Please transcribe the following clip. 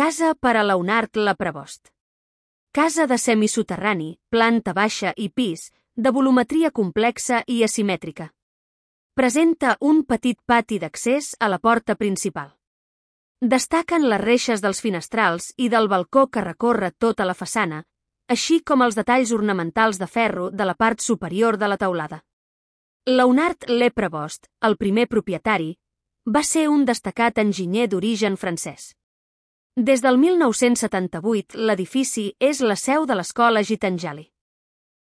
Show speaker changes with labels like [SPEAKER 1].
[SPEAKER 1] Casa per a Leonard Leprebost. Casa de semisoterrani, planta baixa i pis, de volumetria complexa i asimètrica. Presenta un petit pati d'accés a la porta principal. Destaquen les reixes dels finestrals i del balcó que recorre tota la façana, així com els detalls ornamentals de ferro de la part superior de la teulada. Leonard Leprebost, el primer propietari, va ser un destacat enginyer d'origen francès. Des del 1978, l'edifici és la seu de l'escola Gitanjali.